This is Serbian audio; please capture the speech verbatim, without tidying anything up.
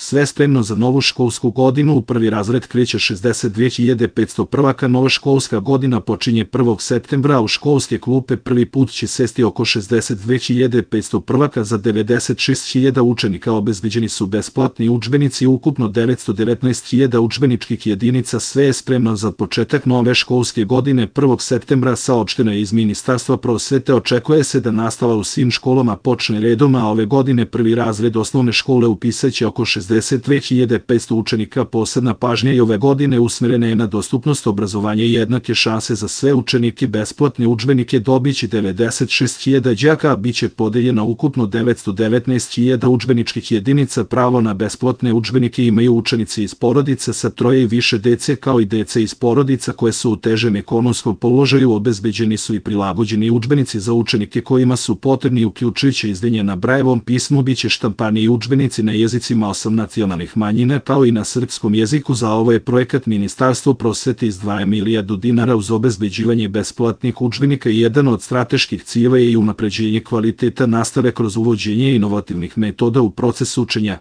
Sve spremno za novu školsku godinu. U prvi razred kreće šezdeset dve hiljade petsto prvaka. Nova školska godina počinje prvog septembra, a u školske klupe prvi put će sesti oko šezdeset dve hiljade petsto prvaka. Za devedeset šest hiljada učenika obezbeđeni su besplatni udžbenici, ukupno devetsto devetnaest hiljada udžbeničkih jedinica. Sve je spremno za početak nove školske godine prvog septembra. Saopšteno je iz Ministarstva prosvete. Očekuje se da nastava u svim školama počne redom, a ove godine prvi razred osnovne škole upisaće oko šezdeset dve hiljade petsto učenika. Posebna pažnja i ove godine usmerena je na dostupnost obrazovanja i jednake šanse za sve učenike. Besplatne udžbenike dobiće devedeset šest hiljada đaka, a biće podeljeno ukupno devetsto devetnaest hiljada udžbeničkih jedinica. Pravo na besplatne udžbenike imaju učenici iz porodica sa troje i više dece, kao i dece iz porodica koje su u težem ekonomskom položaju. Obezbeđeni su i prilagođeni udžbenici za učenike kojima su potrebni, uključujući izdelje na Brajevom pismu. Biće štampani i udžbenici na jezicima osam nacionalnih manjina, kao i na srpskom jeziku. Za ovo je projekat Ministarstvo prosvete izdvaja milijardu dinara. Uz obezbeđivanje besplatnih udžbenika i jedan od strateških ciljeva je i unapređenje kvaliteta nastave kroz uvođenje inovativnih metoda u proces učenja.